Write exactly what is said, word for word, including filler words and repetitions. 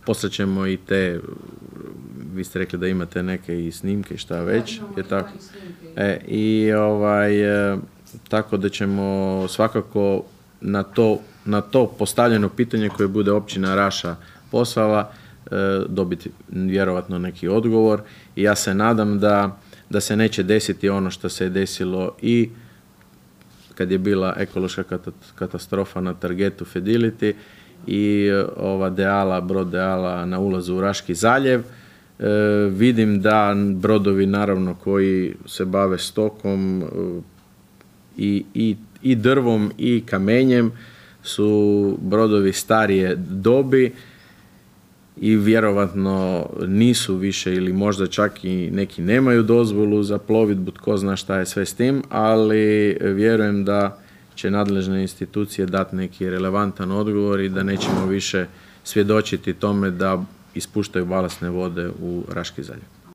poslat ćemo i te, vi ste rekli da imate neke i snimke i šta već, je tako? E, i ovaj, e, tako da ćemo svakako na to, na to postavljeno pitanje koje bude općina Raša poslala, e, dobiti vjerovatno neki odgovor i ja se nadam da, da se neće desiti ono što se je desilo i kad je bila ekološka katastrofa na targetu Fidelity i ova Deala, brod Deala na ulazu u Raški zaljev. E, vidim da brodovi naravno koji se bave stokom e, i, i, i drvom i kamenjem su brodovi starije dobi i vjerovatno nisu više ili možda čak i neki nemaju dozvolu za plovidbu, tko zna šta je sve s tim, ali vjerujem da će nadležne institucije dati neki relevantan odgovor i da nećemo više svjedočiti tome da ispuštaju balastne vode u Raški zaljev.